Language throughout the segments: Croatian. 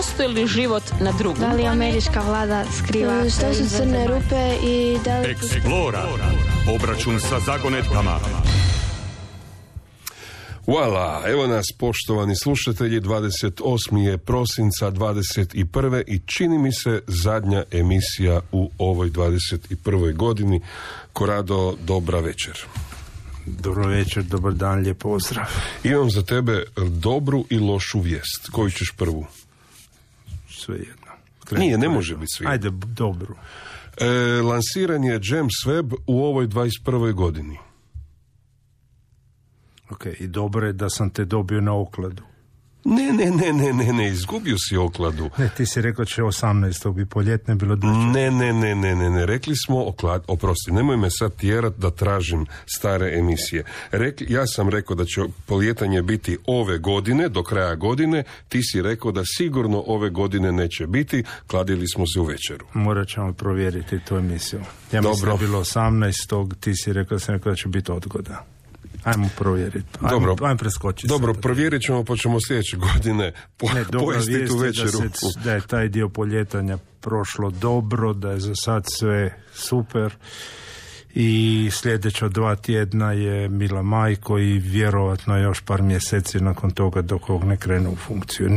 postoji li život na drugom? Da li američka vlada skriva? Što su crne rupe i da li... Explora. Obračun sa zagonetkama. Voila, evo nas poštovani slušatelji, 28. je prosinca 21. i čini mi se zadnja emisija u ovoj 21. godini. Korado, dobra večer. Dobro večer, dobar dan, lijep pozdrav. Imam za tebe dobru i lošu vijest. Koju ćeš prvu? Sve jedno. Nije, ne može biti sve. Ajde, dobru. Lansiran je James Webb u ovoj 21. godini. Ok, i dobro je da sam te dobio na okladu. Ne, izgubio si okladu. Ne, ti si rekao će 18. bi poljetne bilo duže. Ne, rekli smo oprosti, nemoj me sad tjerat da tražim stare emisije. Ja sam rekao da će poljetanje biti ove godine, do kraja godine, ti si rekao da sigurno ove godine neće biti, kladili smo se u večeru. Morat ćemo provjeriti tu emisiju. Ja mislim da je bilo 18. ti si rekao da će biti odgoda. Ajmo provjeriti. Ajmo preskočiti. Dobro, provjerit ćemo, pa ćemo sljedeće godine pojesti tu večeru. Da je taj dio poljetanja prošlo dobro, da je za sad sve super i sljedeća 2 tjedna je Mila Majko i vjerovatno još par mjeseci nakon toga dok ovog ne krene u funkciju.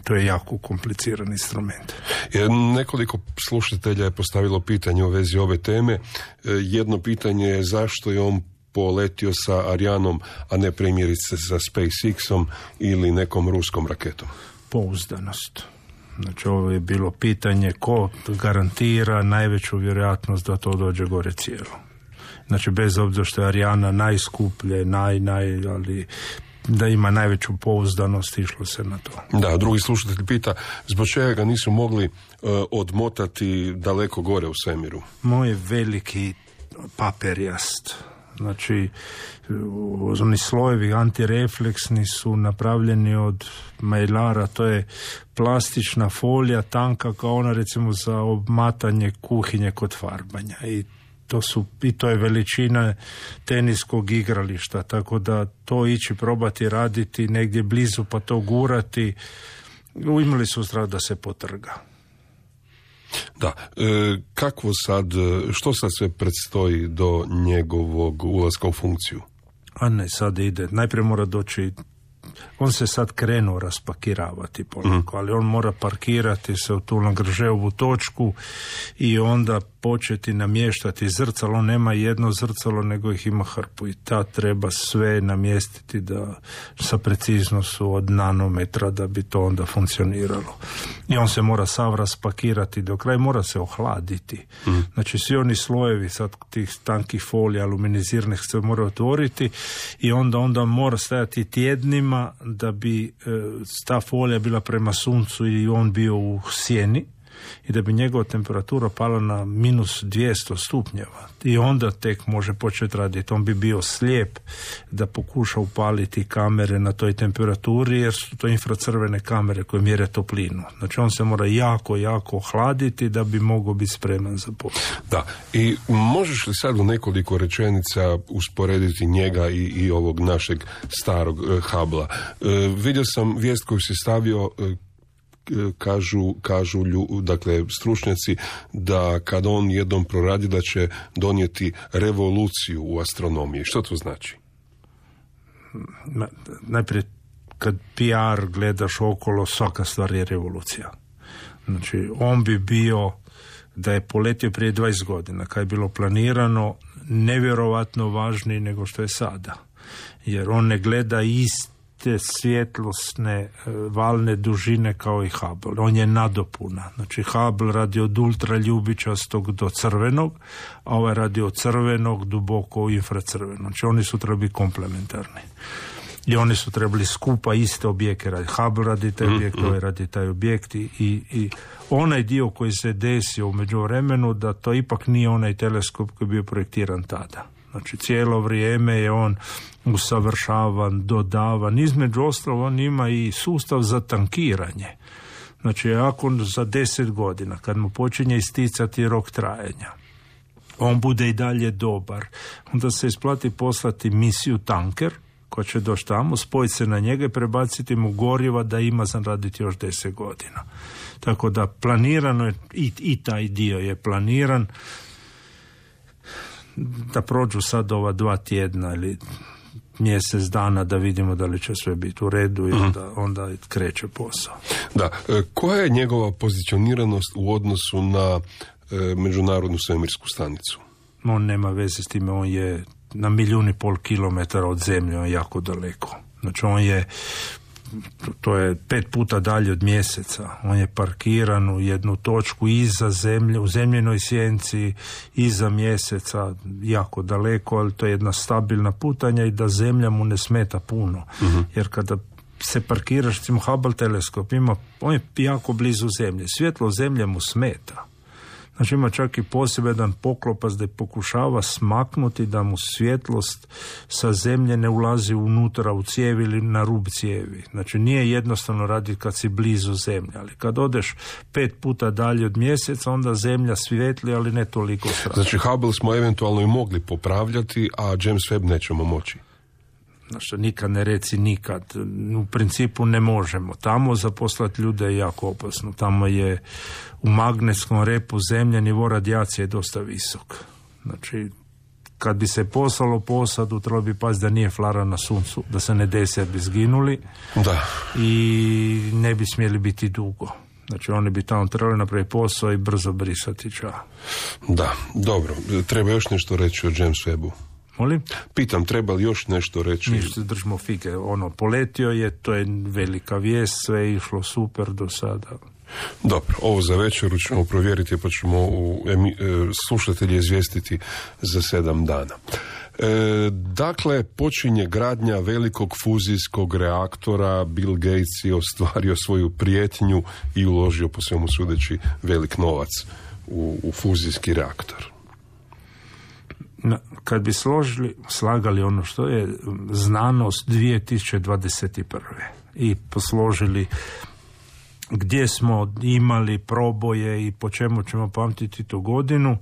To je jako kompliciran instrument. Nekoliko slušatelja je postavilo pitanje u vezi ove teme. Jedno pitanje je zašto je on poletio sa Arianom, a ne primjerice sa SpaceX-om ili nekom ruskom raketom? Pouzdanost. Znači, ovo je bilo pitanje ko garantira najveću vjerojatnost da to dođe gore cijelo. Znači, bez obzira što je Ariana najskuplje, ali da ima najveću pouzdanost, išlo se na to. Da, drugi slušatelj pita zbog čega ga nisu mogli odmotati daleko gore u svemiru. Moj veliki paperjast. Znači, oni slojevi antirefleksni su napravljeni od majlara, to je plastična folija, tanka kao ona recimo za obmatanje kuhinje kod farbanja. I to je veličina teniskog igrališta, tako da to ići probati raditi negdje blizu pa to gurati, imali su strah da se potrga. Da, što sad sve predstoji do njegovog ulaska u funkciju? A ne, sad ide, najprije mora doći, on se sad krenuo raspakiravati polako, ali on mora parkirati se u tu Lagrangeovu točku i onda početi namještati zrcalo. On nema jedno zrcalo, nego ih ima hrpu i treba sve namjestiti da sa preciznošću od nanometra da bi to onda funkcioniralo. I on se mora sav raspakirati do kraja, mora se ohladiti. Znači svi oni slojevi sad tih tankih folija, aluminiziranih se mora otvoriti i onda mora stajati tjednima da bi ta folija bila prema suncu i on bio u sjeni i da bi njegova temperatura pala na minus 200 stupnjeva i onda tek može početi raditi. On bi bio slijep da pokuša upaliti kamere na toj temperaturi jer su to infracrvene kamere koje mjere toplinu. Znači on se mora jako ohladiti da bi mogao biti spreman za posao. Da, i možeš li sad u nekoliko rečenica usporediti njega i ovog našeg starog Hubbla? Vidio sam vijest koju si stavio, kažu dakle stručnjaci da kad on jednom proradi da će donijeti revoluciju u astronomiji. Što to znači? Najprije kad PR gledaš okolo, svaka stvar je revolucija. Znači on bi bio, da je poletio prije 20 godina kad je bilo planirano, nevjerovatno važniji nego što je sada, jer on ne gleda te svjetlosne valne dužine kao i Hubble. On je nadopuna. Znači Hubble radi od ultraljubičastog do crvenog, a ovaj radi od crvenog duboko u infracrveno. Znači oni su trebali komplementarni. I oni su trebali skupa iste objekte raditi. Hubble radi taj objekt, ovaj radi taj objekt i onaj dio koji se desio u međuvremenu da to ipak nije onaj teleskop koji je bio projektiran tada. Znači cijelo vrijeme je on usavršavan, dodavan. Između ostalog on ima i sustav za tankiranje. Znači ako za 10 godina kad mu počinje isticati rok trajanja, on bude i dalje dobar, onda se isplati poslati misiju tanker ko će doći tamo, spojiti se na njega i prebaciti mu goriva da ima za raditi još 10 godina. Tako da planirano je, i taj dio je planiran, da prođu sad ova 2 tjedna ili mjesec dana da vidimo da li će sve biti u redu i onda kreće posao. Da, koja je njegova pozicioniranost u odnosu na Međunarodnu svemirsku stanicu? On nema veze s time, on je na 1,5 milijuna kilometara od zemlje, on je jako daleko. Znači on je, to je 5 puta dalje od mjeseca. On je parkiran u jednu točku iza zemlje, u zemljenoj sjenci, iza mjeseca, jako daleko, ali to je jedna stabilna putanja i da zemlja mu ne smeta puno. Jer kada se parkiraš, recimo Hubble teleskop on je jako blizu zemlje. Svjetlo zemlje mu smeta. Znači ima čak i poseban poklopac da pokušava smaknuti da mu svjetlost sa zemlje ne ulazi unutra u cijevi ili na rub cijevi. Znači nije jednostavno raditi kad si blizu zemlje, ali kad odeš 5 puta dalje od mjeseca, onda zemlja svijetli, ali ne toliko strašno. Znači Hubble smo eventualno i mogli popravljati, a James Webb nećemo moći. Znači, nikad ne reci nikad. U principu ne možemo. Tamo zaposlati ljude je jako opasno. Tamo je u magnetskom repu zemlje nivo radijacije je dosta visok. Znači, kad bi se poslalo posadu, trebalo bi paziti da nije flara na suncu, da se ne desi da bi zginuli. Da. I ne bi smjeli biti dugo. Znači, oni bi tamo trebali napraviti posao i brzo brisati ča. Da, dobro. Treba još nešto reći o James Webbu. Molim? Pitam, treba li još nešto reći? Ništa, držimo fige. Poletio je, to je velika vijest, sve je išlo super do sada. Dobro, ovo za večeru ćemo provjeriti, pa ćemo slušatelje izvijestiti za 7 dana. Dakle, počinje gradnja velikog fuzijskog reaktora. Bill Gates je ostvario svoju prijetnju i uložio, po svemu sudeći, velik novac u fuzijski reaktor. Kad bi slagali ono što je znanost 2021. i posložili gdje smo imali proboje i po čemu ćemo pamtiti tu godinu,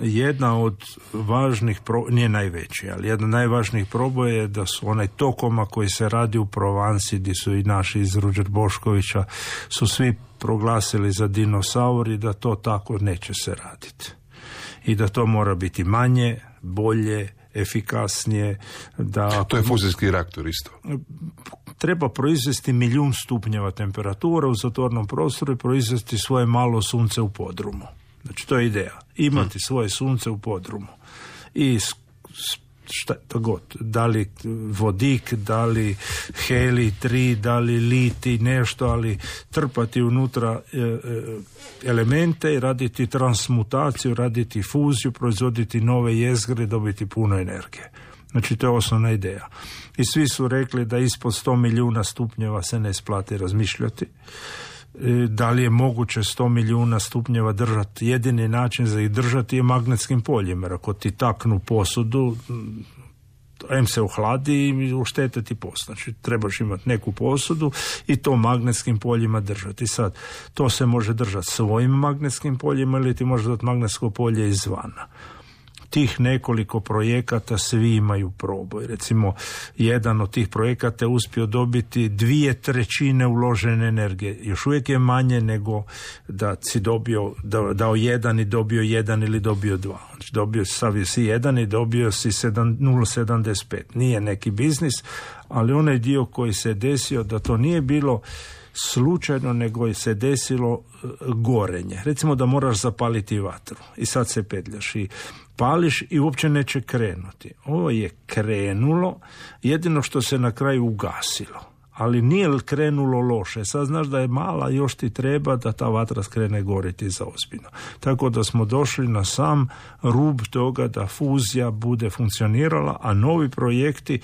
jedna od važnih, nije najveći, ali jedna od najvažnijih proboja je da su onaj tokoma koji se radi u Provansi, gdje su i naši iz Ruđer Boškovića, su svi proglasili za dinosauri, da to tako neće se raditi. I da to mora biti manje, bolje, efikasnije. To je fuzijski reaktor isto. Treba proizvesti 1 milijun stupnjeva temperatura u zatvorenom prostoru i proizvesti svoje malo sunce u podrumu. Znači to je ideja. Imati svoje sunce u podrumu. I šta god, da li vodik, da li helij 3, da li litij, nešto, ali trpati unutra elemente i raditi transmutaciju, raditi fuziju, proizvoditi nove jezgre, dobiti puno energije. Znači to je osnovna ideja. I svi su rekli da ispod 100 milijuna stupnjeva se ne isplati razmišljati. Da li je moguće 100 milijuna stupnjeva držati? Jedini način za ih držati je magnetskim poljima. Jer ako ti taknu posudu, se ohladi i uštete ti posud. Znači trebaš imati neku posudu i to magnetskim poljima držati. Sad, to se može držati svojim magnetskim poljima ili ti može dati magnetsko polje izvana. Tih nekoliko projekata svi imaju proboj. Recimo, jedan od tih projekata je uspio dobiti 2/3 uložene energije. Još uvijek je manje nego da si dao 1 i dobio 1 ili dobio 2. Znači, dobio si 1 i dobio si 0,75. Nije neki biznis, ali onaj dio koji se desio, da to nije bilo slučajno, nego je se desilo gorenje. Recimo da moraš zapaliti vatru i sad se petljaš i pališ i uopće neće krenuti. Ovo je krenulo, jedino što se na kraju ugasilo. Ali nije krenulo loše. Sad znaš da je mala, još ti treba da ta vatra skrene goriti za ozbiljno. Tako da smo došli na sam rub toga da fuzija bude funkcionirala, a novi projekti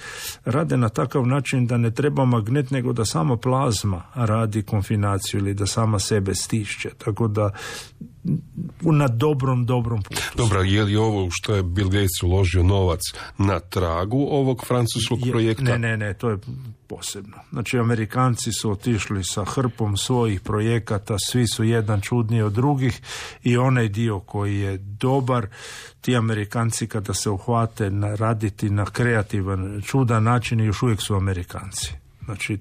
rade na takav način da ne treba magnet, nego da sama plazma radi konfinaciju ili da sama sebe stišće. Tako da na dobrom putu. Dobro, je li ovo što je Bill Gates uložio novac na tragu ovog francuskog projekta? Ne, to je posebno. Znači, Amerikanci su otišli sa hrpom svojih projekata, svi su jedan čudniji od drugih i onaj dio koji je dobar, ti Amerikanci kada se uhvate raditi na kreativan, čudan način, još uvijek su Amerikanci. Znači,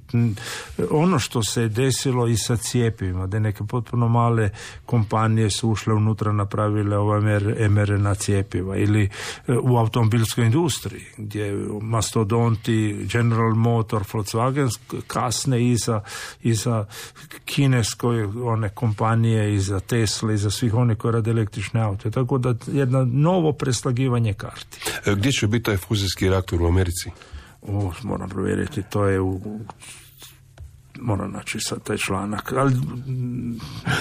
ono što se je desilo i sa cjepivima, da neke potpuno male kompanije su ušle unutra, napravile mRNA cjepiva, ili u automobilskoj industriji, gdje mastodonti, General Motor, Volkswagen kasne iza kineskoj one kompanije, iza Tesla, iza svih onih koji rade električne aute. Tako da jedno novo preslagivanje karti. Gdje će biti taj fuzijski reaktor u Americi? Moram provjeriti, to je moram naći sad taj članak. Ali...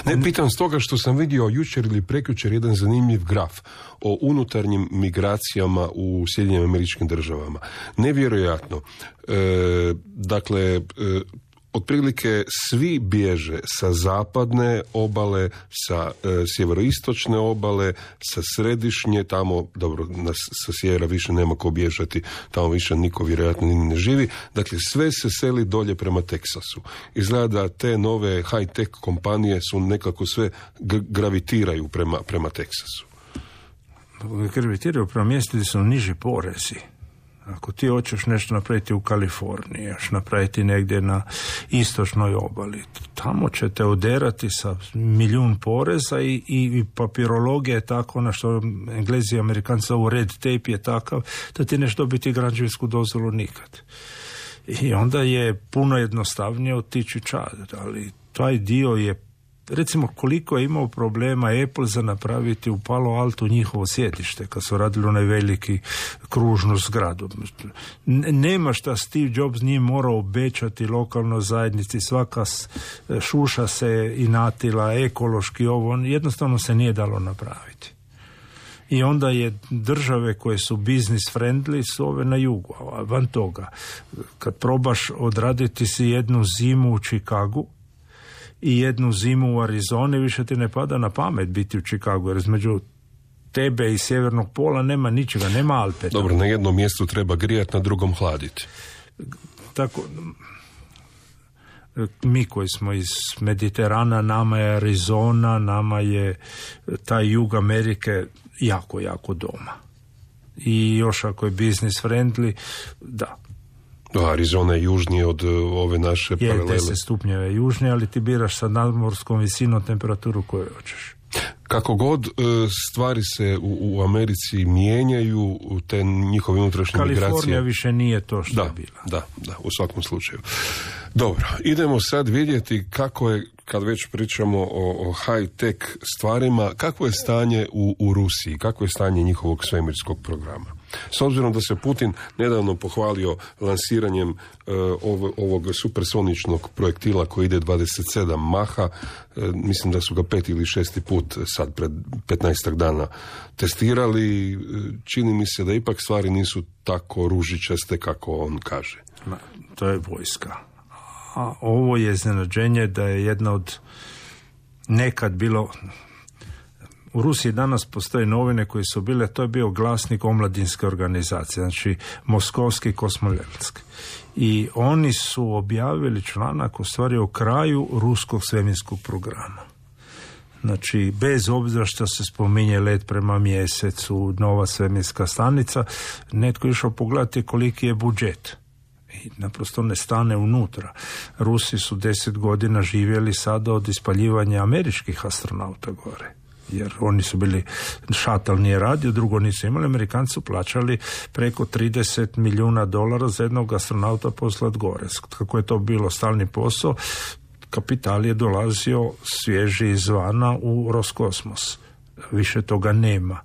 Ne, pitam stoga što sam vidio jučer ili prekjučer jedan zanimljiv graf o unutarnjim migracijama u Sjedinjenim Američkim Državama. Nevjerojatno. Otprilike svi bježe sa zapadne obale, sa sjeveroistočne obale, sa središnje, tamo, dobro, sa sjevera više nema ko bježati, tamo više niko vjerojatno ni ne živi. Dakle, sve se seli dolje prema Teksasu. Izgleda da te nove high-tech kompanije su nekako sve gravitiraju prema Teksasu. Gravitiraju prema mjestu gdje su niži porezi. Ako ti hoćeš nešto napraviti u Kaliforniji, još napraviti negdje na istočnoj obali, tamo će te oderati sa milijun poreza i papirologija je tako, na što Englezi i Amerikanci zovu red tape je takav, da ti neš dobiti građevinsku dozvolu nikad. I onda je puno jednostavnije otići čad, ali taj dio je, recimo koliko je imao problema Apple za napraviti u Palo Alto njihovo sjedište kad su radili onaj veliki kružnu zgradu. Nema šta Steve Jobs nije morao obećati lokalnoj zajednici, svaka šuša se inatila, ekološki ovo, jednostavno se nije dalo napraviti. I onda je države koje su business friendly su ove na jugu, a van toga, kad probaš odraditi si jednu zimu u Chicagu i jednu zimu u Arizoni, više ti ne pada na pamet biti u Chicagu, jer između tebe i sjevernog pola nema ničega, nema Alpe. Dobro, na jednom mjestu treba grijati, na drugom hladiti. Tako, mi koji smo iz Mediterana, nama je Arizona, nama je taj jug Amerike jako, jako doma. I još ako je business friendly, da. Arizona je južnije od ove naše paralele. Je 10 stupnjeva južnije, ali ti biraš sa nadmorskom visinom temperaturu koju hoćeš. Kako god stvari se u Americi mijenjaju, te njihove unutrašnje migracije... Kalifornija više nije to što je bila. Da, u svakom slučaju. Dobro, idemo sad vidjeti kako je, kad već pričamo o high-tech stvarima, kako je stanje u Rusiji, kako je stanje njihovog svemirskog programa. S obzirom da se Putin nedavno pohvalio lansiranjem ovog supersoničnog projektila koji ide 27 maha, mislim da su ga 5. ili 6. put sad pred 15 dana testirali, čini mi se da ipak stvari nisu tako ružičaste kako on kaže. To je vojska. A ovo je iznenađenje da je jedna od nekad bilo... U Rusiji danas postoje novine koje su bile, to je bio glasnik omladinske organizacije, znači Moskovski kosmoletski. I oni su objavili članak u stvari o kraju ruskog svemirskog programa. Znači, bez obzira što se spominje let prema mjesecu, nova svemirska stanica, netko je išao pogledati koliki je budžet. I naprosto ne stane unutra. Rusi su 10 godina živjeli sada od ispaljivanja američkih astronauta gore. Jer oni su bili, šatal nije radio, drugo nisu imali, Amerikanci su plaćali preko $30 milijuna za jednog astronauta poslat gore. Kako je to bilo stalni posao, kapital je dolazio svježi izvana u Roskosmos. Više toga nema.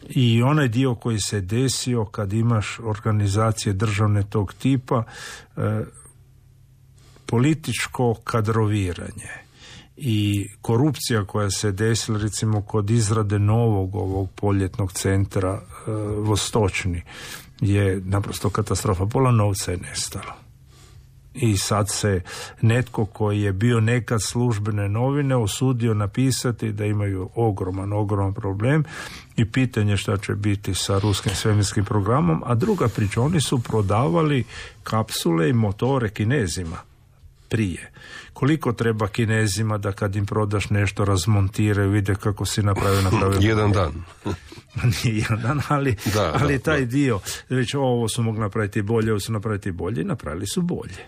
I onaj dio koji se desio kad imaš organizacije državne tog tipa, političko kadroviranje i korupcija koja se desila recimo kod izrade novog ovog poljetnog centra Vostočni je naprosto katastrofa. Pola novca je nestalo. I sad se netko koji je bio nekad službene novine usudio napisati da imaju ogroman problem i pitanje šta će biti sa ruskim svemirskim programom, a druga priča, oni su prodavali kapsule i motore Kinezima prije. Koliko treba Kinezima da kad im prodaš nešto razmontiraju, vide kako si napravio. Jedan dan. Nije jedan dan, ali taj dio, reći ovo su mogli napraviti bolje, ovo su napraviti bolje i napravili su bolje.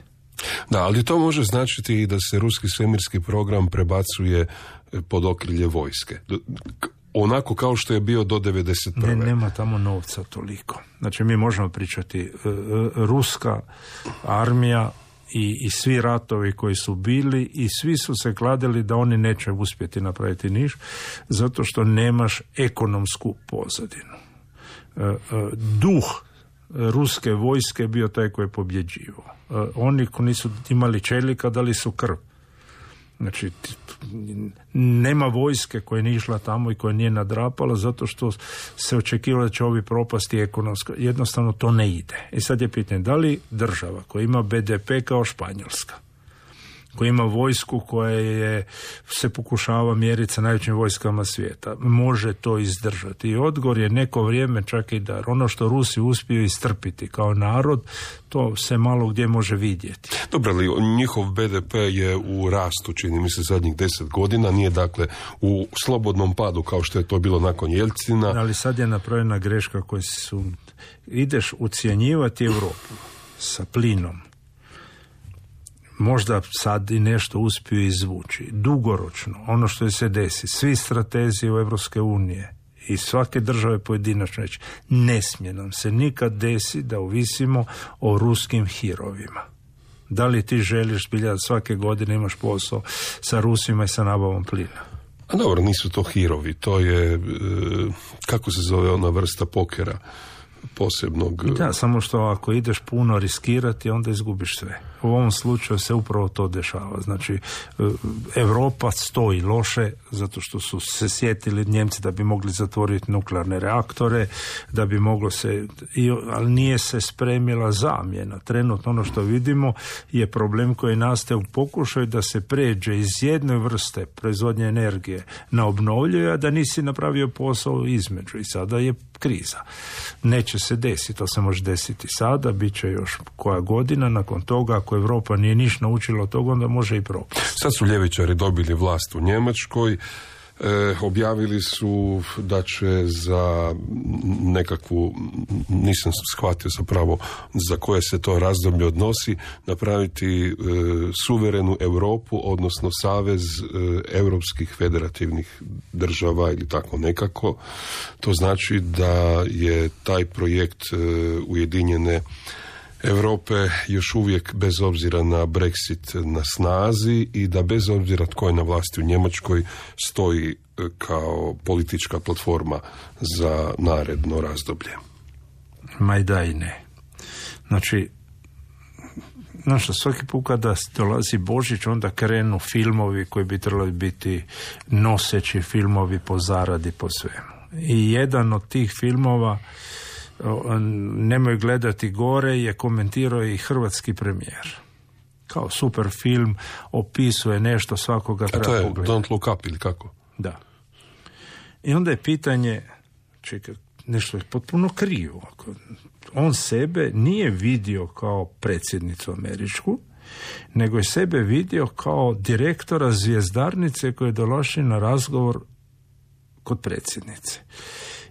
Da, ali to može značiti i da se ruski svemirski program prebacuje pod okrilje vojske. Onako kao što je bio do 1991. Nema tamo novca toliko. Znači mi možemo pričati ruska armija i svi ratovi koji su bili i svi su se kladili da oni neće uspjeti napraviti niš zato što nemaš ekonomsku pozadinu. Duh ruske vojske bio taj koji je pobjeđivao. Oni koji nisu imali čelika dali su krv. Znači, nema vojske koja nije išla tamo i koja nije nadrapala zato što se očekivalo da će ovi propasti ekonomsko. Jednostavno to ne ide. I sad je pitanje, da li država koja ima BDP kao Španjolska, koja ima vojsku koja se pokušava mjeriti sa najvećim vojskama svijeta, može to izdržati. I odgovor je neko vrijeme čak i dar. Ono što Rusi uspiju istrpiti kao narod, to se malo gdje može vidjeti. Dobro, ali njihov BDP je u rastu, čini mi se, zadnjih 10 godina, nije dakle u slobodnom padu kao što je to bilo nakon Jelcina. Ali sad je napravljena greška koja su... Ideš ucjenjivati Europu sa plinom. Možda sad i nešto uspiju izvući. Dugoročno, ono što se desi, svi stratezi u Evropske unije i svake države pojedinačno reći, ne smije nam se nikad desi da ovisimo o ruskim hirovima. Da li ti želiš da svake godine imaš posao sa Rusima i sa nabavom plina? A dobro, nisu to hirovi, to je, kako se zove ona vrsta pokera posebnog... Da, samo što ako ideš puno riskirati, onda izgubiš sve. U ovom slučaju se upravo to dešava. Znači, Europa stoji loše zato što su se sjetili Njemci da bi mogli zatvoriti nuklearne reaktore, da bi moglo se... Ali nije se spremila zamjena. Trenutno ono što vidimo je problem koji nastaje u pokušaju da se pređe iz jedne vrste proizvodnje energije na obnovljive, a da nisi napravio posao između. I sada je kriza. Neće se desiti, to se može desiti sada, bit će još koja godina, nakon toga ako Europa nije ništa naučila od toga, onda može i propasti. Sad su ljevičari dobili vlast u Njemačkoj, objavili su da će za nekakvu, nisam shvatio zapravo za koje se to razdoblje odnosi, napraviti suverenu Europu, odnosno savez europskih federativnih država ili tako nekako. To znači da je taj projekt Ujedinjene Europe još uvijek bez obzira na Brexit na snazi i da bez obzira tko je na vlasti u Njemačkoj stoji kao politička platforma za naredno razdoblje. Ma i da i ne. Znači, svaki put kada dolazi Božić, onda krenu filmovi koji bi trebali biti noseći filmovi po zaradi, po svemu. I jedan od tih filmova, nemoj gledati gore, je komentirao i hrvatski premijer. Kao super film, opisuje nešto, svakoga treba pogledati. A to je Don't Look Up ili kako? Da. I onda je pitanje, čekaj, nešto je potpuno krivo. On sebe nije vidio kao predsjednicu američku, nego je sebe vidio kao direktora zvjezdarnice koji je došao na razgovor kod predsjednice.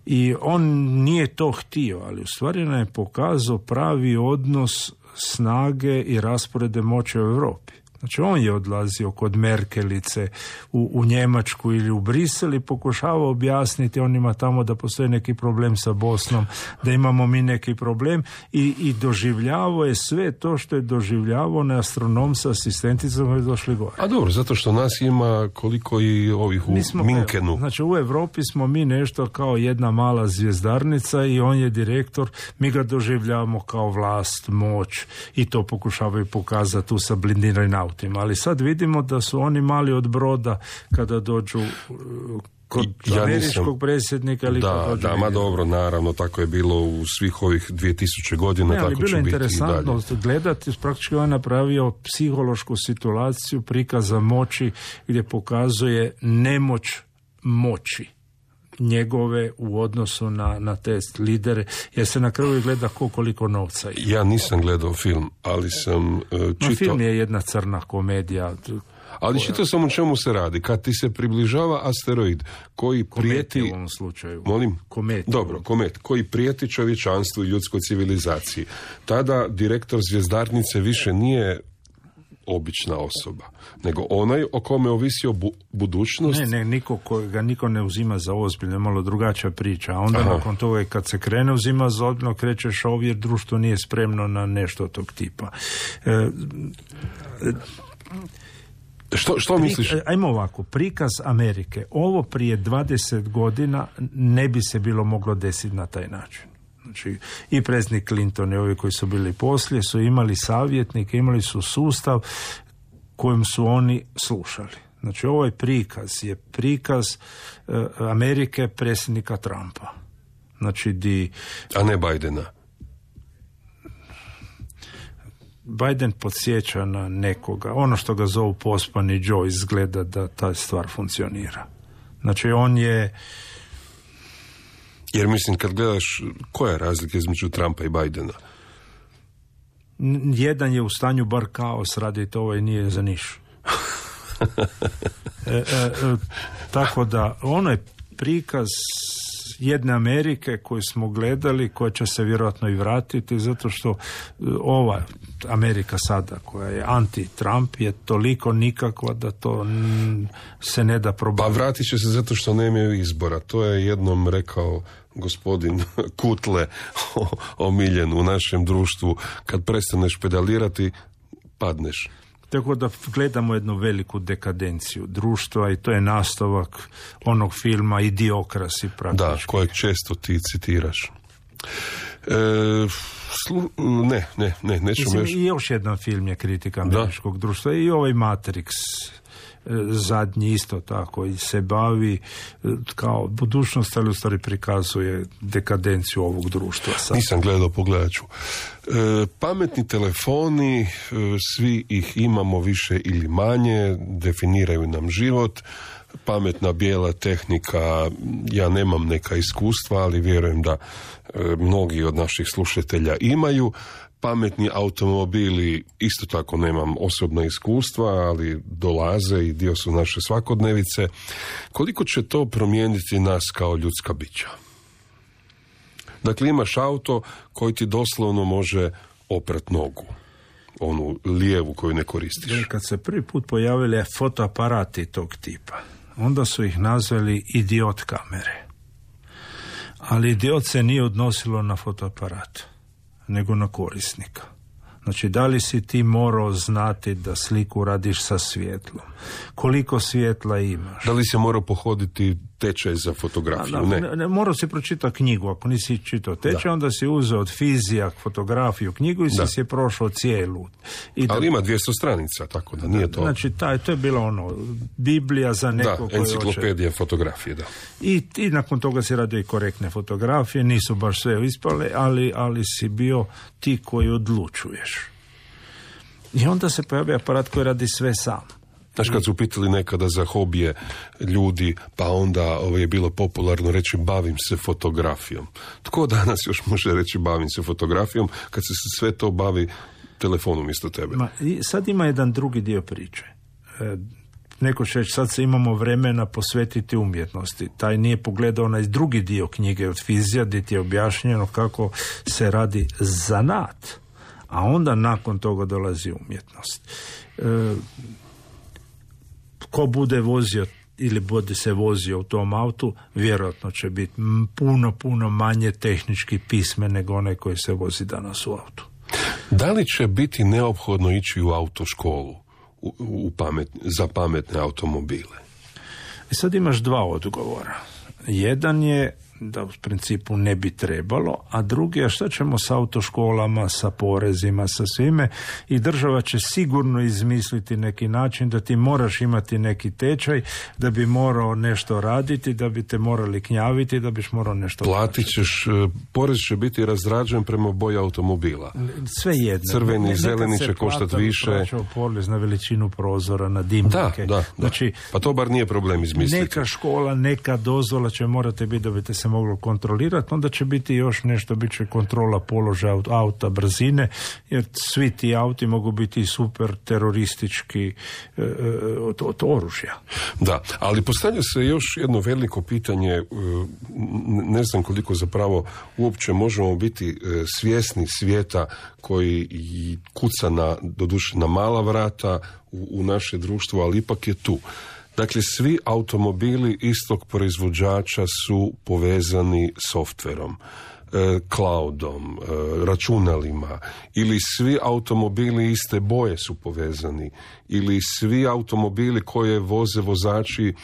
I on nije to htio, ali u stvari nam je pokazao pravi odnos snage i rasporede moći u Europi. Znači on je odlazio kod Merkelice u Njemačku ili u Brisel i pokušavao objasniti onima tamo da postoji neki problem sa Bosnom, da imamo mi neki problem i doživljavao je sve to što je doživljavao na astronom sa asistenticom koji je došli gore. A dobro, zato što nas ima koliko i ovih u Minkenu. Znači u Europi smo mi nešto kao jedna mala zvjezdarnica i on je direktor, mi ga doživljavamo kao vlast, moć i to pokušavaju pokazati tu sa blindiranim autom. autima, ali sad vidimo da su oni mali od broda kada dođu kod američkog predsjednika ili ma dobro, naravno, tako je bilo u svih ovih 2000 godina, tako će biti i dalje. Bilo je interesantno gledati, praktički on napravio psihološku situaciju prikaza moći gdje pokazuje nemoć moći njegove u odnosu na te lidere, jer se na kraju gleda koliko novca ima. Ja nisam gledao film, ali sam čitao... Film je jedna crna komedija. Ali čitao sam o čemu se radi. Kad ti se približava asteroid koji prijeti... u ovom slučaju. Molim? Komet. Dobro, komet. Koji prijeti čovječanstvu i ljudskoj civilizaciji. Tada direktor zvjezdarnice više nije obična osoba, nego onaj o kome ovisi o budućnost. Niko ne uzima za ozbiljno, malo drugačija priča. A onda nakon toga kad se krene uzima za ozbiljno, krećeš ovdje jer društvo nije spremno na nešto tog tipa. Što misliš? Ajmo ovako, prikaz Amerike. Ovo prije 20 godina ne bi se bilo moglo desiti na taj način. Znači, i predsjednik Clinton i ovi koji su bili poslije su imali savjetnike, imali su sustav kojim su oni slušali. Znači, ovaj prikaz je prikaz Amerike predsjednika Trumpa. Znači, a ne Bidena. Biden podsjeća na nekoga. Ono što ga zovu pospani Joe, izgleda da ta stvar funkcionira. Znači, on je... Jer mislim, kad gledaš, koja je razlika između Trumpa i Bidena? Jedan je u stanju bar kaos raditi, ovaj nije za niš. Tako da, ono je prikaz jedne Amerike koju smo gledali, koja će se vjerojatno i vratiti, zato što ova Amerika sada, koja je anti-Trump, je toliko nikakva da to se ne da probati. Pa vratit će se zato što nemaju izbora. To je jednom rekao gospodin Kutle, omiljen u našem društvu. Kad prestaneš pedalirati, padneš. Tako da gledamo jednu veliku dekadenciju društva i to je nastavak onog filma Idiokrasi praktički. Da, kojeg često ti citiraš. Nećemo još... I još jedan film je kritika američkog društva i ovaj Matrix zadnji isto tako i se bavi kao budućnost, ali u stvari prikazuje dekadenciju ovog društva. Nisam gledao, pogledat ću. Pametni telefoni, svi ih imamo više ili manje, definiraju nam život. Pametna bijela tehnika, ja nemam neka iskustva, ali vjerujem da mnogi od naših slušatelja imaju. Pametni automobili, isto tako nemam osobna iskustva, ali dolaze i dio su naše svakodnevice. Koliko će to promijeniti nas kao ljudska bića? Dakle, imaš auto koji ti doslovno može oprat nogu, onu lijevu koju ne koristiš. Kad se prvi put pojavili fotoaparati tog tipa, onda su ih nazvali idiot kamere. Ali idiot se nije odnosilo na fotoaparat, nego na korisnika. Znači, da li si ti morao znati da sliku radiš sa svjetlom? Koliko svjetla imaš? Da li si morao pohoditi tečaj za fotografiju? Ne, morao si pročitati knjigu. Ako nisi čitao tečaj, onda si uzeo od fizija fotografiju knjigu i si je prošao cijelu. Ali ima 200 stranica, tako da nije to... Znači, to je bilo Biblija za nekog koji enciklopedija fotografije, da. I nakon toga si radio i korektne fotografije, nisu baš sve ispale, ali si bio ti koji odlučuješ. I onda se pojavio aparat koji radi sve sam. Znaš, kad su pitali nekada za hobije ljudi, pa onda je bilo popularno reći bavim se fotografijom. Tko danas još može reći bavim se fotografijom kad se sve to bavi telefonom isto tebe? Sad ima jedan drugi dio priče. Neko će reći, sad se imamo vremena posvetiti umjetnosti. Taj nije pogledao onaj drugi dio knjige od fizija, gdje ti je objašnjeno kako se radi zanat. A onda nakon toga dolazi umjetnost. Ko bude vozio ili bude se vozio u tom autu, vjerojatno će biti puno manje tehnički pismen nego onaj koji se vozi danas u autu. Da li će biti neophodno ići u autoškolu za pametne automobile? I sad imaš dva odgovora. Jedan je da u principu ne bi trebalo, a drugi, a šta ćemo s autoškolama, sa porezima, sa svime, i država će sigurno izmisliti neki način da ti moraš imati neki tečaj, da bi morao nešto raditi, da bi te morali knjaviti, da biš morao nešto platit ćeš, porez će biti razrađen prema boji automobila. Sve jedno. Crveni, zeleni će koštati više. Plaćao porez na veličinu prozora, na dimnike. Da. Znači, pa to bar nije problem izmisliti. Neka škola, neka dozvola će morati biti da bi te se moglo kontrolirati, onda će biti još nešto, bit će kontrola položaja auta, brzine, jer svi ti auti mogu biti super teroristički od oružja. Da, ali postavlja se još jedno veliko pitanje, ne znam koliko zapravo uopće možemo biti svjesni svijeta koji kuca doduše na mala vrata u naše društvo, ali ipak je tu. Dakle, svi automobili istog proizvođača su povezani softverom, cloudom, računalima, ili svi automobili iste boje su povezani, ili svi automobili koje voze vozači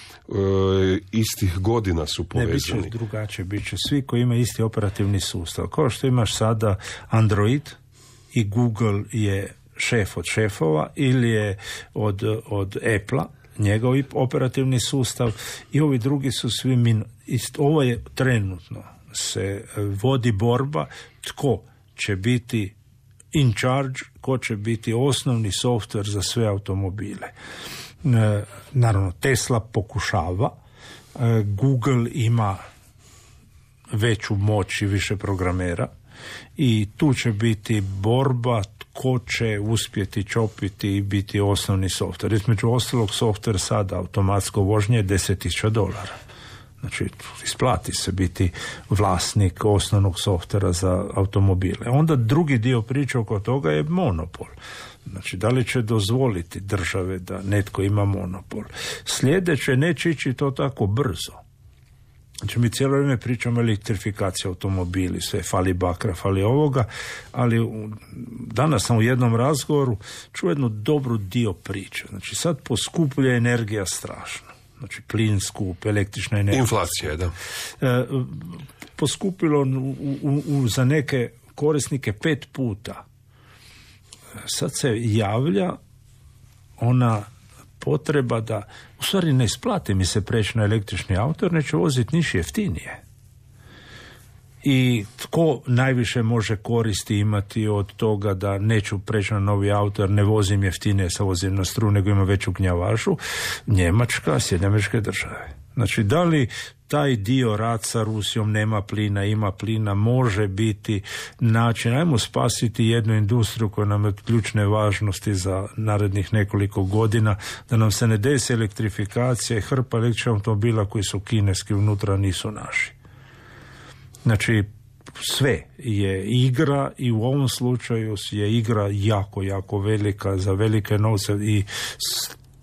istih godina su povezani. Ne, bit će drugačije, bit će svi koji imaju isti operativni sustav. Kao što imaš sada Android i Google je šef od šefova ili je od Apple-a, njegov operativni sustav, i ovi drugi su svi ovo je trenutno se vodi borba tko će biti in charge, ko će biti osnovni softver za sve automobile. Naravno, Tesla pokušava, Google ima veću moć i više programera i tu će biti borba ko će uspjeti čopiti i biti osnovni softver. Između ostalog, softver sada automatsko vožnje je $10,000. Znači, isplati se biti vlasnik osnovnog softvera za automobile. Onda drugi dio priče oko toga je monopol. Znači, da li će dozvoliti države da netko ima monopol? Sljedeće, neće ići to tako brzo. Znači, mi cijelo vrijeme pričamo o elektrifikaciji automobili, sve fali bakra, fali ovoga, ali danas sam u jednom razgovoru čuo jednu dobru dio priče. Znači, sad poskuplja energija strašno. Znači, plin skup, električna energija. Inflacija, da. Poskupilo za neke korisnike 5 puta. Sad se javlja ona potreba da, u stvari ne isplati mi se preći na električni auto, jer neće voziti niš jeftinije. I tko najviše može koristi imati od toga da neću preći na novi auto jer ne vozim jeftinije, sa vozim na struju, nego ima veću gnjavažu? Njemačka, Sjedinjene Američke Države. Znači, da li taj dio rat sa Rusijom, nema plina, ima plina, može biti način, ajmo spasiti jednu industriju koja nam je od ključne važnosti za narednih nekoliko godina, da nam se ne desi elektrifikacija i hrpa električnih automobila koji su kineski unutra, nisu naši. Znači, sve je igra i u ovom slučaju je igra jako, jako velika za velike novce i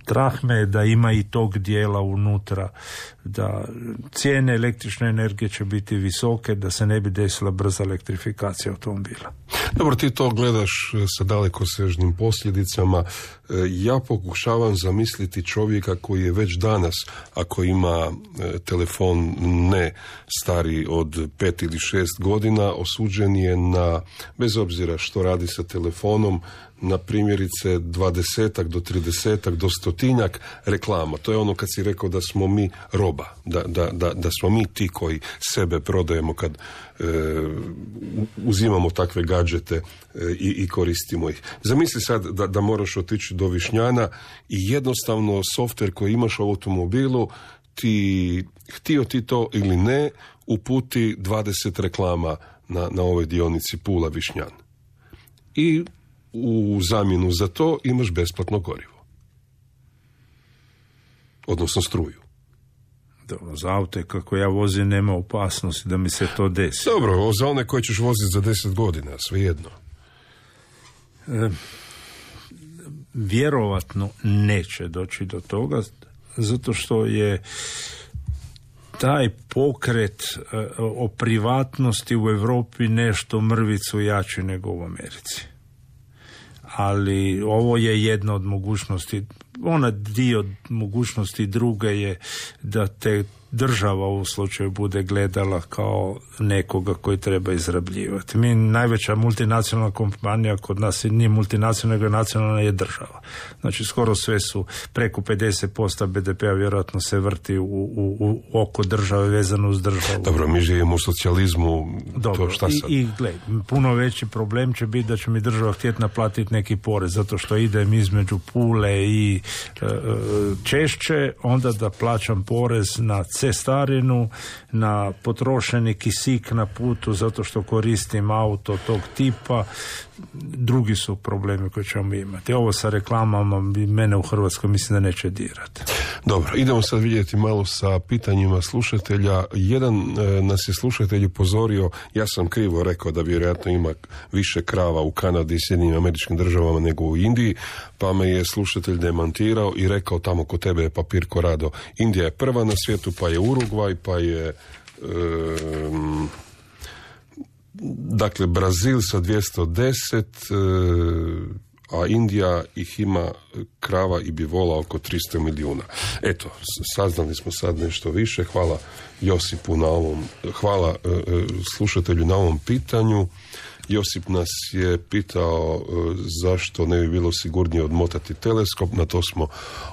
strah me je da ima i tog dijela unutra, da cijene električne energije će biti visoke, da se ne bi desila brza elektrifikacija automobila. Dobro, ti to gledaš sa dalekosežnim posljedicama. Ja pokušavam zamisliti čovjeka koji je već danas, ako ima telefon ne stariji od 5 ili 6 godina, osuđen je na, bez obzira što radi sa telefonom, na primjerice 20 do 30 do 100 reklama. To je ono kad si rekao da smo mi roba, da smo mi ti koji sebe prodajemo kad uzimamo takve gadžete i koristimo ih. Zamisli sad da moraš otići do Višnjana i jednostavno softver koji imaš u automobilu ti, htio ti to ili ne, uputi 20 reklama na ovoj dionici Pula Višnjan. I u zamjenu za to imaš besplatno gorivo. Odnosno struju. Dobro, za aute kako ja vozim nema opasnosti da mi se to desi. Dobro, za one koje ćeš voziti za 10 godina, svejedno. Vjerovatno neće doći do toga, zato što je taj pokret o privatnosti u Europi nešto mrvicu jači nego u Americi. Ali ovo je jedna od mogućnosti. ona dio mogućnosti druga je da te država u slučaju bude gledala kao nekoga koji treba izrabljivati. Mi, najveća multinacionalna kompanija kod nas nije multinacionalna, nego nacionalna je država. Znači skoro sve su, preko 50% BDP-a vjerojatno se vrti u oko države, vezano uz državu. Dobro, mi živimo u socijalizmu. Dobro, to šta sad? I gled, puno veći problem će biti da će mi država htjeti naplatiti neki porez, zato što idem između Pule i Češće, onda da plaćam porez na cestarinu, na potrošeni kisik na putu zato što koristim auto tog tipa. Drugi su problemi koje ćemo imati. Ovo sa reklamama mene u Hrvatskoj mislim da neće dirati. Dobro, idemo sad vidjeti malo sa pitanjima slušatelja. Jedan nas je slušatelj upozorio, ja sam krivo rekao da vjerojatno ima više krava u Kanadi i Sjedinjenim Američkim Državama nego u Indiji, pa me je slušatelj demantirao i rekao tamo kod tebe je papir ko rado. Indija je prva na svijetu, pa je Urugvaj, pa je dakle Brazil sa 210, a Indija ih ima krava i bivola oko 300 milijuna. Eto, saznali smo sad nešto više. Hvala Josipu na ovom, hvala slušatelju na ovom pitanju. Josip nas je pitao zašto ne bi bilo sigurnije odmotati teleskop, na to smo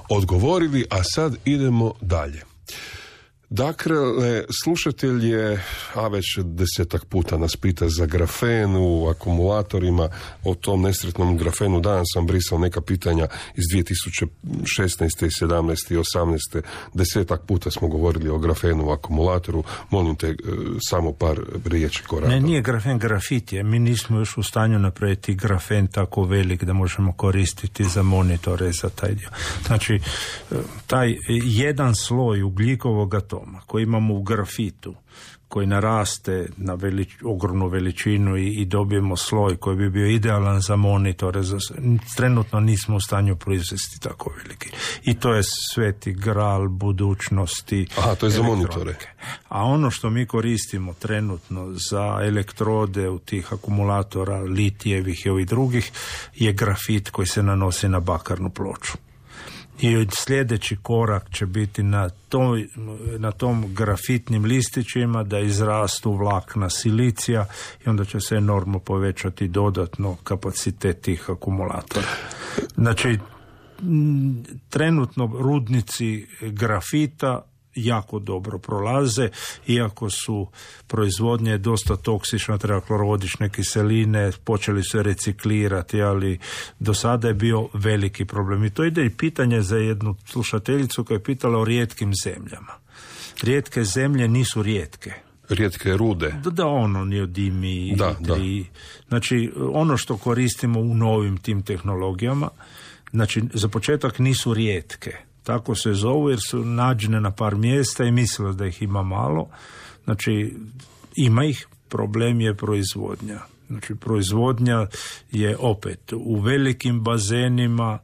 odgovorili, a sad idemo dalje. Dakle, slušatelj je, a već 10-tak puta nas pita za grafen u akumulatorima, o tom nesretnom grafenu. Danas sam brisao neka pitanja iz 2016. i 17. i 18. 10-tak puta smo govorili o grafenu u akumulatoru. Molim te, samo par riječi ko rado. Ne, nije grafen, grafit je. Mi nismo još u stanju napraviti grafen tako velik da možemo koristiti za monitore, za taj dio. Znači, taj jedan sloj ugljikovog atoma koji imamo u grafitu, koji naraste na ogromnu veličinu i dobijemo sloj koji bi bio idealan za monitore, trenutno nismo u stanju proizvesti tako veliki. I to je sveti gral budućnosti. Aha, to je za monitore. A ono što mi koristimo trenutno za elektrode u tih akumulatora, litijevih i ovih drugih, je grafit koji se nanosi na bakarnu ploču. I sljedeći korak će biti na tom grafitnim listićima da izrastu vlakna silicija i onda će se enormno povećati dodatno kapacitet tih akumulatora. Znači, trenutno rudnici grafita jako dobro prolaze, iako su proizvodnje dosta toksične, treba klorodične kiseline, počeli su reciklirati, ali do sada je bio veliki problem. I to ide i pitanje za jednu slušateljicu koja je pitala o rijetkim zemljama. Rijetke zemlje nisu rijetke. Rijetke rude. Da, ono neodimi. Da. Znači, ono što koristimo u novim tim tehnologijama, znači, za početak nisu rijetke. Tako se zovu jer su nađene na par mjesta i mislilo da ih ima malo. Znači, ima ih, problem je proizvodnja. Znači, proizvodnja je opet u velikim bazenima.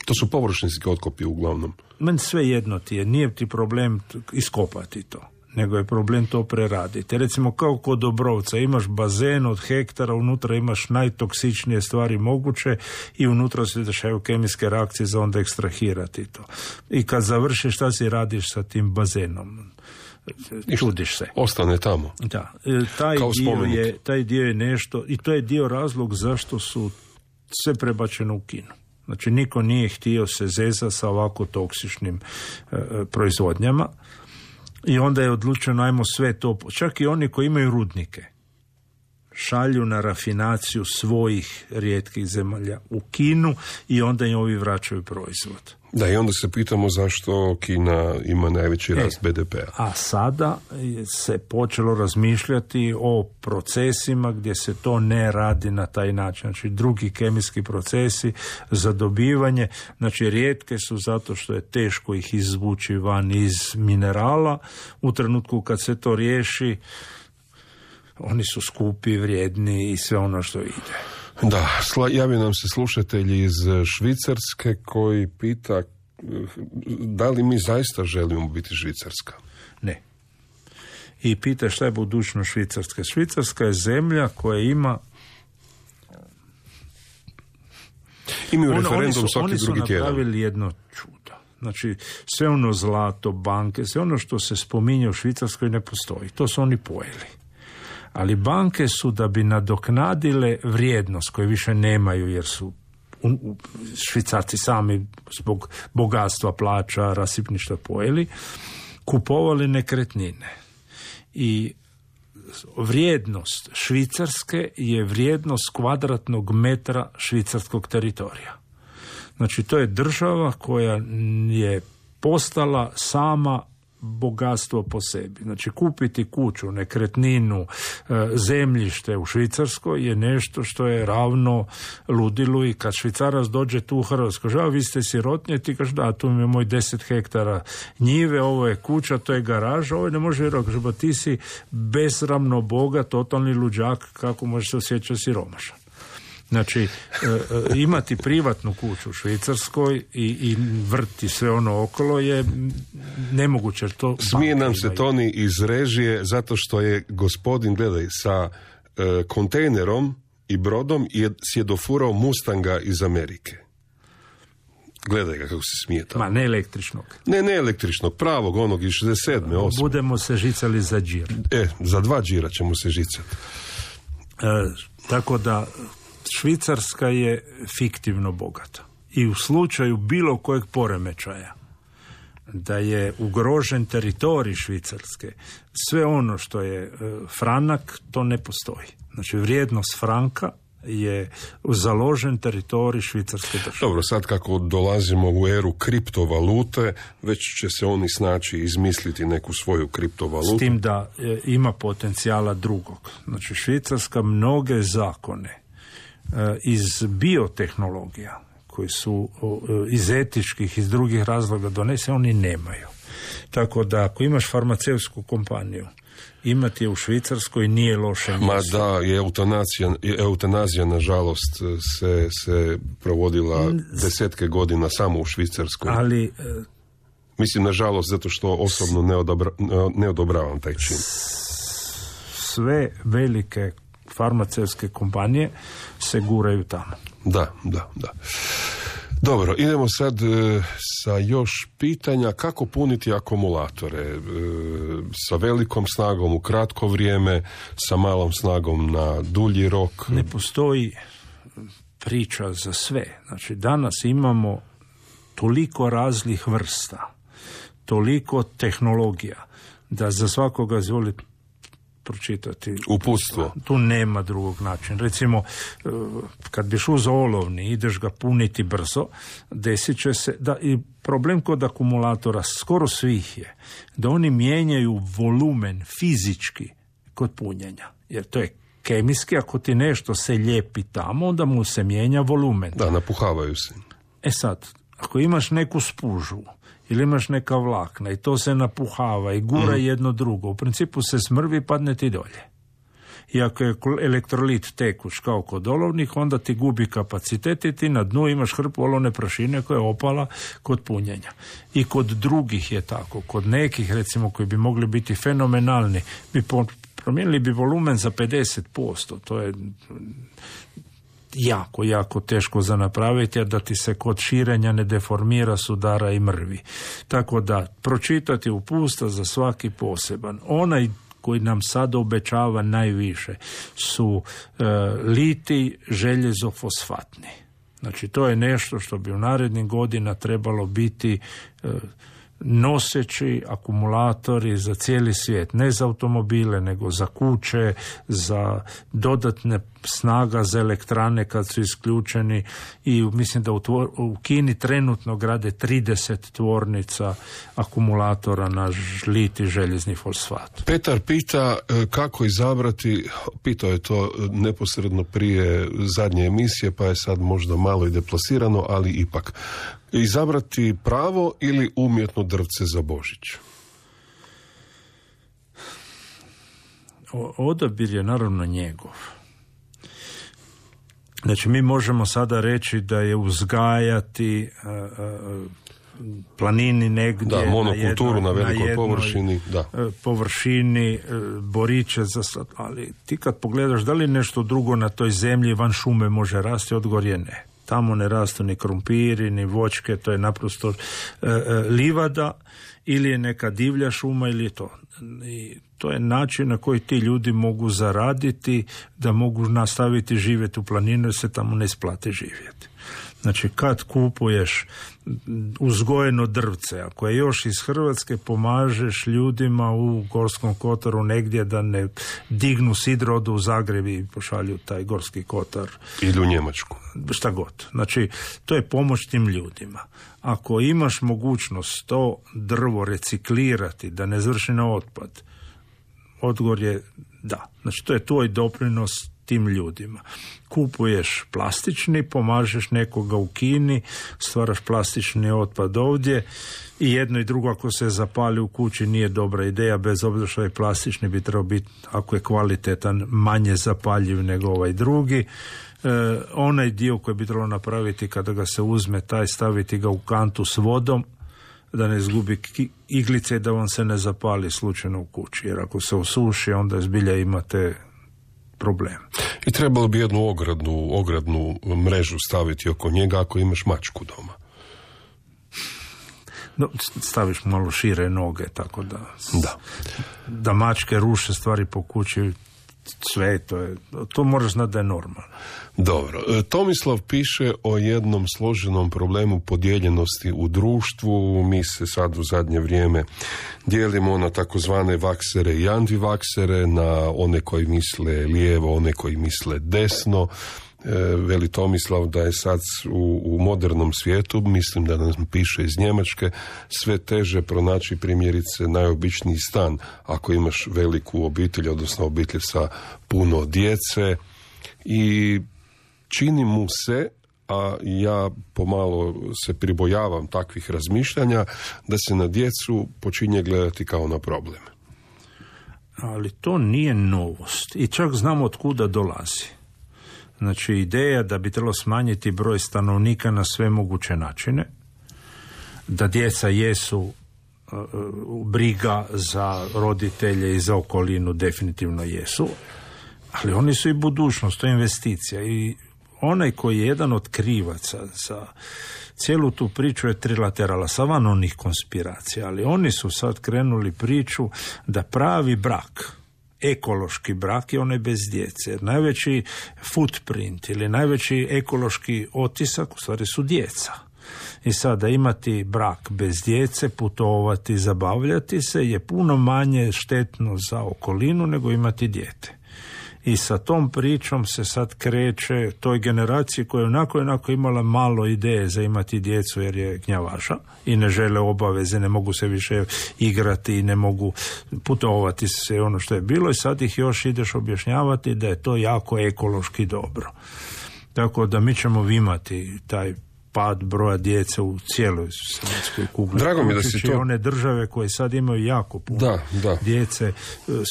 To su površinski otkopi uglavnom. Meni sve jedno ti je, nije ti problem iskopati to, nego je problem to preraditi. Recimo kao kod Dobrovca, imaš bazen od hektara, unutra imaš najtoksičnije stvari moguće i unutra se dešavaju kemijske reakcije za onda ekstrahirati to. I kad završiš, šta si radiš sa tim bazenom? Čudiš se. Ostane tamo. Da. Taj dio je nešto, i to je dio razlog zašto su sve prebačeno u Kinu. Znači, niko nije htio se zeza sa ovako toksičnim proizvodnjama. I onda je odlučeno, ajmo sve to, čak i oni koji imaju rudnike, šalju na rafinaciju svojih rijetkih zemalja u Kinu i onda im ovi vraćaju proizvod. Da, i onda se pitamo zašto Kina ima najveći rast BDP-a. A sada se počelo razmišljati o procesima gdje se to ne radi na taj način. Znači, drugi kemijski procesi za dobivanje, znači rijetke su zato što je teško ih izvući van iz minerala. U trenutku kad se to riješi, oni su skupi, vrijedni i sve ono što ide. Da, javio nam se slušatelj iz Švicarske koji pita da li mi zaista želimo biti Švicarska? Ne. I pita šta je budućnost Švicarske. Švicarska je zemlja koja ima Imaju referendum svaki drugi tjedan. Oni su napravili jedno čudo. Znači, sve ono zlato, banke, sve ono što se spominje u Švicarskoj ne postoji. To su oni pojeli. Ali banke su, da bi nadoknadile vrijednost koju više nemaju, jer su Švicarci sami zbog bogatstva, plaća, rasipništva pojeli, kupovali nekretnine. I vrijednost Švicarske je vrijednost kvadratnog metra švicarskog teritorija. Znači, to je država koja je postala sama bogatstvo po sebi. Znači, kupiti kuću, nekretninu, zemljište u Švicarskoj je nešto što je ravno ludilu, i kad Švicarac dođe tu u Hrvatsku, žao, vi ste sirotnje, ti kažeš, da, tu mi je moj 10 hektara njive, ovo je kuća, to je garaža, ovo ne može vjerovati, ba ti si besramno bogat, totalni luđak, kako možeš se osjećati siromašan. Znači, imati privatnu kuću u Švicarskoj i vrti sve ono okolo je nemoguće. Smije nam se Toni iz režije zato što je gospodin, gledaj, sa kontejnerom i brodom si je dofurao Mustanga iz Amerike. Gledaj ga kako se smije tamo. Ma, ne električnog. Ne električnog, pravog, onog iz 67. 8. Budemo se žicali za džir. Za 2 džira ćemo se žicati. Tako da Švicarska je fiktivno bogata. I u slučaju bilo kojeg poremećaja da je ugrožen teritorij Švicarske, sve ono što je franak, to ne postoji. Znači, vrijednost franka je založen teritorij švicarske države. Dobro, sad kako dolazimo u eru kriptovalute, već će se oni snaći izmisliti neku svoju kriptovalutu. S tim da ima potencijala drugog. Znači, Švicarska mnoge zakone iz biotehnologija, koji su iz etičkih, iz drugih razloga donese, oni nemaju. Tako da ako imaš farmaceutsku kompaniju, imati je u Švicarskoj nije loše mjesto. Ma da, eutanazija nažalost se provodila desetke godina samo u Švicarskoj. Ali mislim, nažalost, zato što osobno ne odobravam taj čin. Sve velike farmaceutske kompanije se guraju tamo. Da. Dobro, idemo sad sa još pitanja kako puniti akumulatore sa velikom snagom u kratko vrijeme, sa malom snagom na dulji rok. Ne postoji priča za sve. Znači, danas imamo toliko raznih vrsta, toliko tehnologija, da za svakoga izvolite pročitati uputstvo. Tu nema drugog načina. Recimo, kad biš uzeo olovni, ideš ga puniti brzo, desit će se da i problem kod akumulatora skoro svih je da oni mijenjaju volumen fizički kod punjenja. Jer to je kemijski, ako ti nešto se lijepi tamo, onda mu se mijenja volumen. Da, napuhavaju se. Sad, ako imaš neku spužu ili imaš neka vlakna i to se napuhava i gura jedno drugo, u principu se smrvi, padne ti dolje. I ako je elektrolit tekuć kao kod olovnih, onda ti gubi kapacitet i ti na dnu imaš hrpu olovne prašine koja je opala kod punjenja. I kod drugih je tako. Kod nekih, recimo, koji bi mogli biti fenomenalni, promijenili bi volumen za 50%. To je jako teško za napraviti, a da ti se kod širenja ne deformira, sudara i mrvi. Tako da, pročitati uputstva za svaki poseban. Onaj koji nam sad obećava najviše su litij željezofosfatni. Znači, to je nešto što bi u narednim godina trebalo biti noseći akumulatori za cijeli svijet, ne za automobile, nego za kuće, za dodatne snaga za elektrane kad su isključeni, i mislim da u Kini trenutno grade 30 tvornica akumulatora na litij željezni fosfat. Petar pita kako izabrati, pitao je to neposredno prije zadnje emisije, pa je sad možda malo i deplasirano, ali ipak. Izabrati pravo ili umjetno drvce za Božić? Odabir je naravno njegov. Znači, mi možemo sada reći da je uzgajati planini negdje, da, monokulturu na velikoj površini, površini, boriće za ali ti kad pogledaš da li nešto drugo na toj zemlji van šume može rasti, odgovor je ne. Tamo ne rastu ni krumpiri, ni voćke, to je naprosto livada ili je neka divlja šuma ili je to. I to je način na koji ti ljudi mogu zaraditi, da mogu nastaviti živjeti u planinu jer se tamo ne isplati živjeti. Znači, kad kupuješ uzgojeno drvce, ako je još iz Hrvatske, pomažeš ljudima u Gorskom kotaru negdje da ne dignu sidrodu u Zagreb i pošalju taj Gorski kotar. Ili u Njemačku. Šta god. Znači, to je pomoć tim ljudima. Ako imaš mogućnost to drvo reciklirati, da ne završi na otpad, odgovor je da. Znači, to je tvoj doprinos tim ljudima. Kupuješ plastični, pomažeš nekoga u Kini, stvaraš plastični otpad ovdje i jedno i drugo ako se zapali u kući nije dobra ideja, bez obzira što je plastični bi trebao biti, ako je kvalitetan, manje zapaljiv nego ovaj drugi. Onaj dio koji bi trebalo napraviti kada ga se uzme, taj staviti ga u kantu s vodom, da ne izgubi iglice i da vam se ne zapali slučajno u kući, jer ako se osuši onda zbilja imate problem. I trebalo bi jednu ogradnu mrežu staviti oko njega ako imaš mačku doma. No, staviš malo šire noge, tako da mačke ruše stvari po kući, sve to moraš znati da je normalno. Dobro. Tomislav piše o jednom složenom problemu podijeljenosti u društvu. Mi se sad u zadnje vrijeme dijelimo na takozvane vaksere i antivaksere, na one koji misle lijevo, one koji misle desno. Veli Tomislav da je sad u modernom svijetu, mislim da nam piše iz Njemačke, sve teže pronaći primjerice najobičniji stan ako imaš veliku obitelj, odnosno obitelj sa puno djece, i čini mu se, a ja pomalo se pribojavam takvih razmišljanja, da se na djecu počinje gledati kao na problem. Ali to nije novost i čak znamo od kuda dolazi. Znači, ideja da bi trebalo smanjiti broj stanovnika na sve moguće načine, da djeca jesu briga za roditelje i za okolinu, definitivno jesu, ali oni su i budućnost, to je investicija. I onaj koji je jedan od krivaca za cijelu tu priču je trilaterala, savan onih konspiracija, ali oni su sad krenuli priču da pravi brak, ekološki brak, je onaj bez djece. Jer najveći footprint ili najveći ekološki otisak u stvari su djeca. I sada imati brak bez djece, putovati, zabavljati se je puno manje štetno za okolinu nego imati dijete. I sa tom pričom se sad kreće toj generaciji koja je onako imala malo ideje za imati djecu jer je gnjavaža i ne žele obaveze, ne mogu se više igrati, ne mogu putovati se ono što je bilo, i sad ih još ideš objašnjavati da je to jako ekološki dobro. Tako da mi ćemo imati taj pad broja djece u cijeloj svemitskoj kugli. Drago mi da si to... one države koje sad imaju jako puno djece,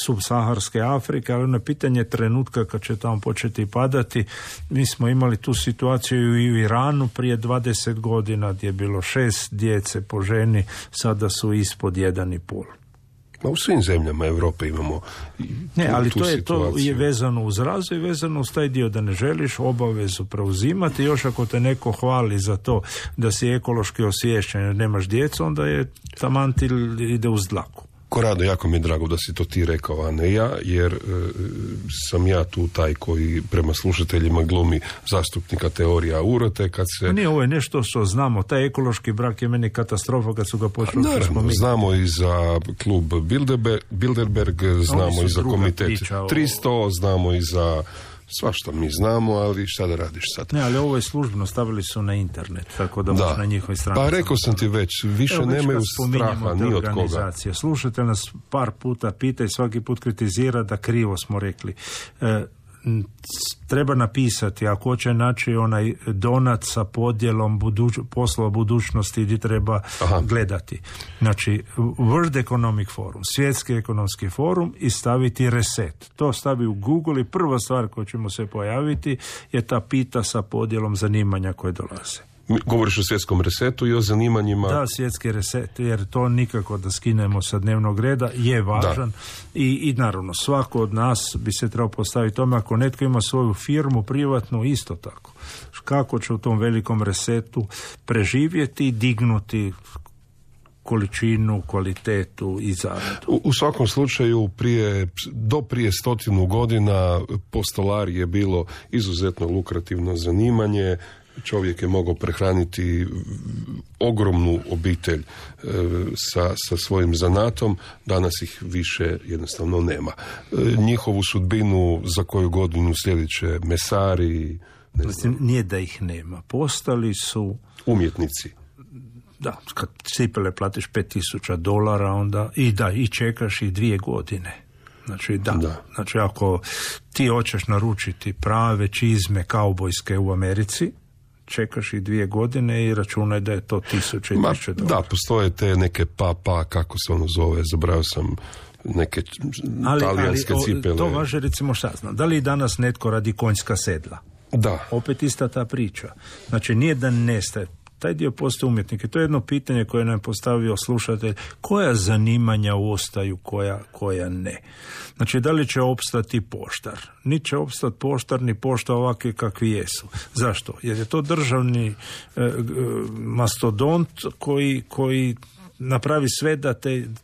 subsaharske Afrike, ali ono pitanje trenutka kad će tamo početi padati. Mi smo imali tu situaciju i u Iranu prije 20 godina gdje je bilo 6 djece po ženi, sada su ispod 1,5. U svim zemljama Europe imamo ali to je vezano uz razvoj, vezano uz taj dio da ne želiš obavezu preuzimati. Još ako te neko hvali za to da si ekološki osviješćen jer nemaš djecu, onda je taman ti ide uz dlaku. Korado, jako mi je drago da si to ti rekao, a ne ja, jer sam ja tu taj koji prema slušateljima glumi zastupnika teorija urote kad se... Nije, ovo je nešto što znamo. Taj ekološki brak je meni katastrofa kad su ga počeli. Naravno, znamo i za klub Bilderberg, znamo i za komitet 300, znamo i za... Svašta mi znamo, ali šta da radiš sad? Ne, ali ovo je službeno, stavili su na internet, tako da možeš na njihovoj strani. Pa rekao sam ti već, više nemaju straha ni od koga. Slušajte nas par puta, pita i svaki put kritizira da krivo smo rekli. Treba napisati, ako hoće naći onaj donat sa podjelom poslova budućnosti gdje treba gledati. Znači, World Economic Forum, Svjetski ekonomski forum, i staviti reset. To stavi u Google i prva stvar koja će mu se pojaviti je ta pita sa podjelom zanimanja koje dolaze. Govoriš o svjetskom resetu i o zanimanjima. Da, svjetski reset, jer to nikako da skinemo sa dnevnog reda, je važan i naravno svako od nas bi se trebao postaviti tome, ako netko ima svoju firmu privatnu, isto tako. Kako će u tom velikom resetu preživjeti i dignuti količinu, kvalitetu i zaradu. U svakom slučaju do prije 100 godina postolar je bilo izuzetno lukrativno zanimanje. Čovjek je mogao prehraniti ogromnu obitelj sa svojim zanatom, danas ih više jednostavno nema. Njihovu sudbinu za koju godinu sljedeće mesari... Nije da ih nema. Postali su... umjetnici. Da, kad cipele platiš $5,000 onda i čekaš ih 2 godine. Znači Znači ako ti hoćeš naručiti prave čizme kaubojske u Americi, čekaš ih 2 godine i računaj da je to $1,000. Da, postoje te neke kako se ono zove, zabrao sam neke talijanske cipele. To važe, recimo, šta znam, da li danas netko radi konjska sedla? Da. Opet ista ta priča. Znači nije da nestaje. Taj dio postoje umjetnike. To je jedno pitanje koje nam je postavio slušatelj. Koja zanimanja ostaju, koja ne? Znači, da li će opstati poštar? Ni će opstati poštar, ni pošta ovakvi kakvi jesu. Zašto? Jer je to državni mastodont koji napravi sve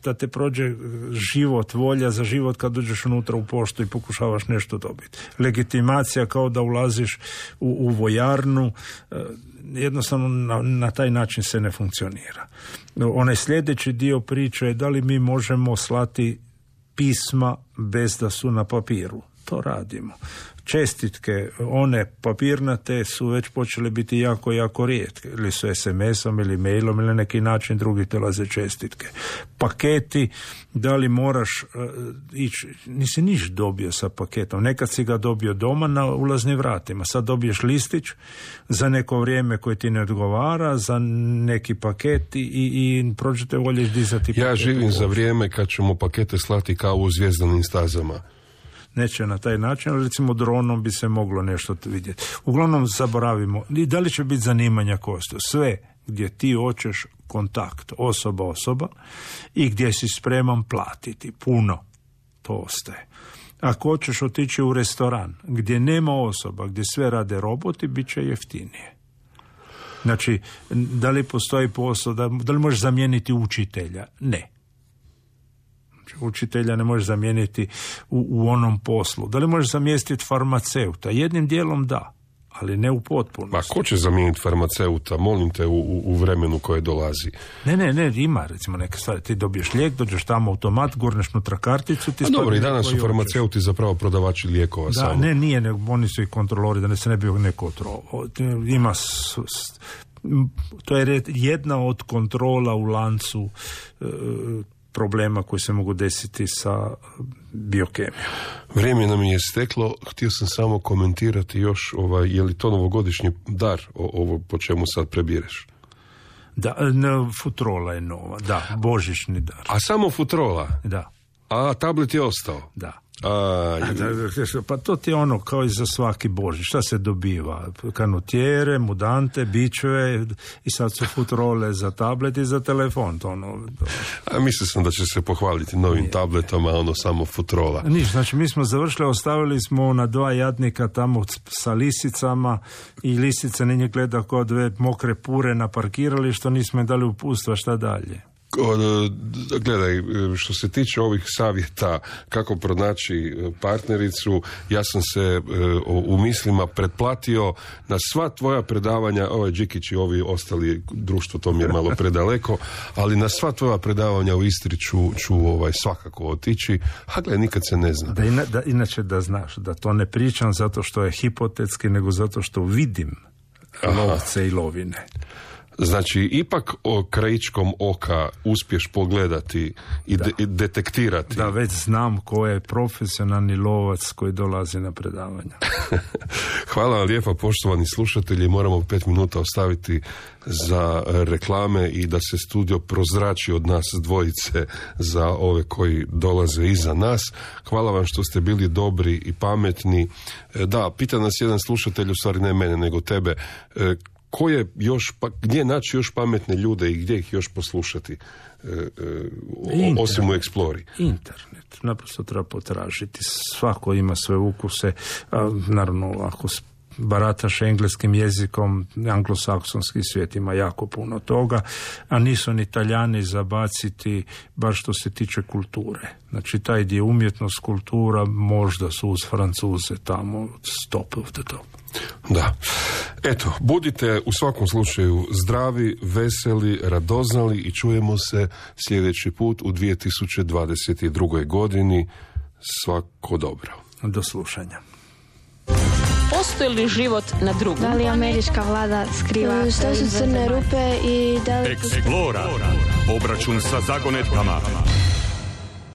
da te prođe život, volja za život kad dođeš unutra u poštu i pokušavaš nešto dobiti. Legitimacija kao da ulaziš u vojarnu, jednostavno na taj način se ne funkcionira. Onaj sljedeći dio priče je da li mi možemo slati pisma bez da su na papiru. To radimo. Čestitke, one papirnate su već počele biti jako, jako rijetke. Ili su SMS-om ili mailom ili na neki način drugi dolaze čestitke. Paketi, da li moraš ići, nisi niš dobio sa paketom. Nekad si ga dobio doma na ulaznim vratima. Sad dobiješ listić za neko vrijeme koje ti ne odgovara, za neki paket i prođete volješ dizati paket. Ja živim za vrijeme kad ćemo pakete slati kao u Zvjezdanim stazama. Neće na taj način, ali recimo dronom bi se moglo nešto vidjeti. Uglavnom zaboravimo. I da li će biti zanimanja kosto? Sve gdje ti hoćeš kontakt osoba i gdje si spreman platiti puno, to ostaje. Ako hoćeš otići u restoran gdje nema osoba, gdje sve rade roboti, bit će jeftinije. Znači, da li postoji posao, da li možeš zamijeniti učitelja? Ne. Učitelja ne možeš zamijeniti u onom poslu. Da li možeš zamijeniti farmaceuta? Jednim dijelom da, ali ne u potpunosti. Ma ko će zamijeniti farmaceuta? Molim te, u vremenu koje dolazi. Ne, ima recimo neke stvari. Ti dobiješ lijek, dođeš tamo automat, gurneš nutra karticu. Dobro, i danas su farmaceuti zapravo prodavači lijekova. Da, samo. Nije, oni su i kontrolori, da ne se ne bi neko otrovao. Ima to je jedna od kontrola u lancu problema koji se mogu desiti sa biokemijom. Vrijeme nam je steklo, htio sam samo komentirati još je li to novogodišnji dar ovo po čemu sad prebireš? Da, futrola je nova, da, božićni dar. A samo futrola? Da. A tablet je ostao? Da. Pa to ti je ono kao i za svaki Božić. Šta se dobiva? Kanutjere, mudante, bičeve i sad su futrole za tablet i za telefon. Mislio sam da će se pohvaliti novim tabletom, samo futrola. Niš, znači mi smo završili, ostavili smo na 2 jadnika tamo sa lisicama i lisice na njih gleda kao 2 mokre pure na parkiralištu, nismo im dali upustva, šta dalje. Gledaj, što se tiče ovih savjeta kako pronaći partnericu, ja sam se u mislima pretplatio na sva tvoja predavanja, Đikić i ovi ostali, društvo to mi je malo predaleko, ali na sva tvoja predavanja u Istri ću svakako otići, a gledaj, nikad se ne zna. Inače da znaš, da to ne pričam zato što je hipotetski, nego zato što vidim lovce i lovine. Znači, ipak krajičkom oka uspješ pogledati i detektirati. Da, već znam ko je profesionalni lovac koji dolazi na predavanja. Hvala vam lijepa, poštovani slušatelji. Moramo 5 minuta ostaviti za reklame i da se studio prozrači od nas dvojice za ove koji dolaze iza nas. Hvala vam što ste bili dobri i pametni. Da, pita nas jedan slušatelj, u stvari ne mene, nego tebe, gdje naći još pametne ljude i gdje ih još poslušati, osim u Explori? Internet. Naprosto treba potražiti. Svako ima svoje ukuse. Naravno, ako barataš engleskim jezikom, anglosaksonski svijet ima jako puno toga, a nisu ni Talijani zabaciti, bar što se tiče kulture. Znači, taj dio umjetnost, kultura, možda su uz Francuze tamo top of the top. Da. Eto, budite u svakom slučaju zdravi, veseli, radoznali i čujemo se sljedeći put u 2022. godini. Svako dobro. Do slušanja. Postoji li život na drugom? Da li američka vlada skriva? Što su crne rupe i da li... Explora. Obračun sa zagonetkama.